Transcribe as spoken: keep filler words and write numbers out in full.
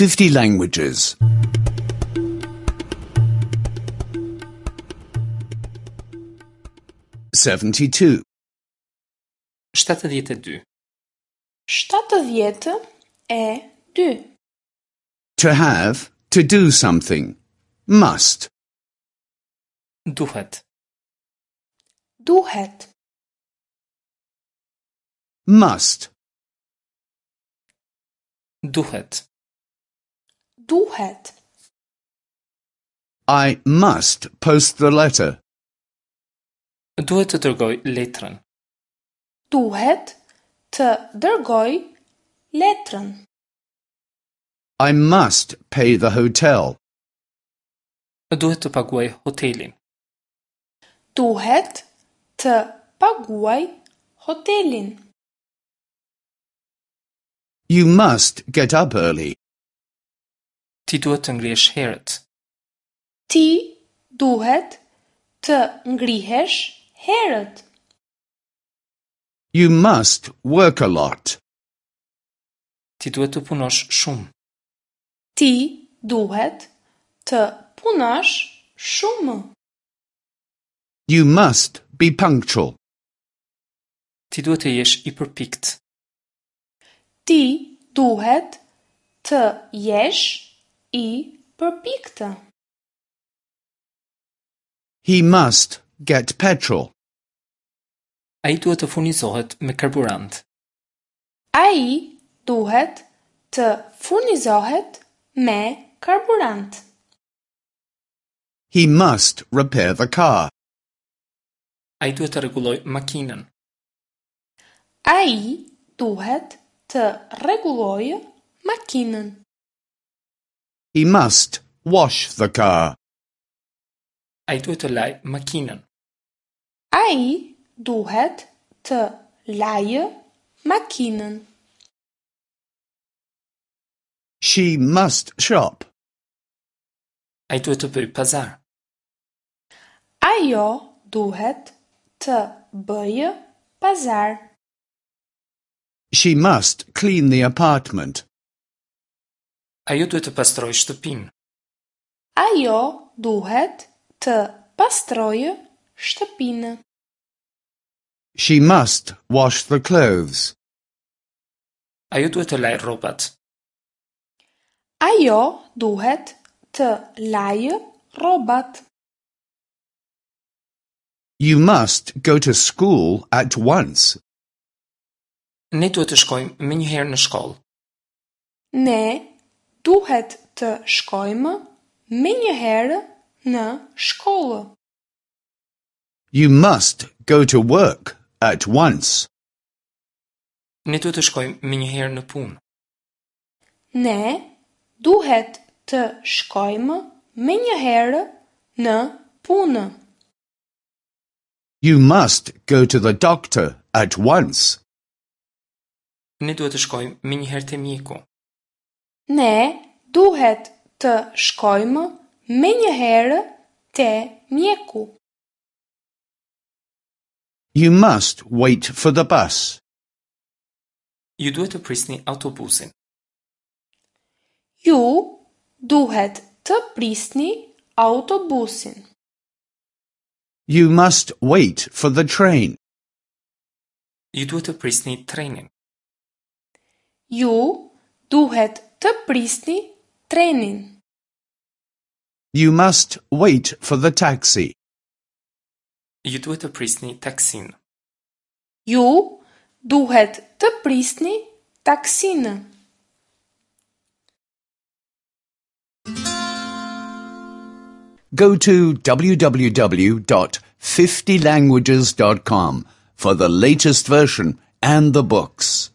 fifty languages. seventy-two. shtatëdhjetë e dy. Shtatëdhjetë e dy. To have, to do something. Must. Duhet. Duhet. Must. Duhet. Duhet. I must post the letter. Duhet të dërgoj letrën. Duhet të dërgoj letrën. I must pay the hotel. Duhet të paguaj hotelin. Duhet të paguaj hotelin. You must get up early. Ti duhet të ngrihesh herët. Ti duhet të ngrihesh herët. You must work a lot. Ti duhet të punosh shumë. Ti duhet të punosh shumë. You must be punctual. Ti duhet të jesh i përpikt. Ti duhet të jesh i përpiktë. He must get petrol. Ai duhet të furnizohet me karburant. Ai duhet të furnizohet me karburant. He must repair the car. Ai duhet të rregullojë makinën. Ai duhet të rregullojë makinën. He must wash the car. Ai duhet të lajë makinën. Ai duhet të lajë makinën. She must shop. Ai duhet të bëjë pazar. Ajo duhet të bëjë pazar. She must clean the apartment. Ajo duhet të pastrojë shtëpinë. Ajo duhet të pastrojë shtëpinë. She must wash the clothes. Ajo duhet të lajë rrobat. Ajo duhet të lajë rrobat. You must go to school at once. Ne duhet të shkojmë menjëherë në shkollë. Ne duhet të shkojmë menjëherë në shkollë. You must go to work at once. Ne duhet të shkojmë menjëherë në punë. Ne duhet të shkojmë menjëherë në punë. You must go to the doctor at once. Ne duhet të shkojmë menjëherë te mjeku. Ne duhet të shkojmë menjëherë te mjeku. You must wait for the bus. Ju duhet të prisni autobusin. Ju duhet të prisni autobusin. You must wait for the train. Ju duhet të prisni trenin. Ju duhet të prisni trenin. You must wait for the taxi. Ju duhet të prisni taksin. Ju duhet të prisni taksinë. Go to w w w dot fifty languages dot com for the latest version and the books.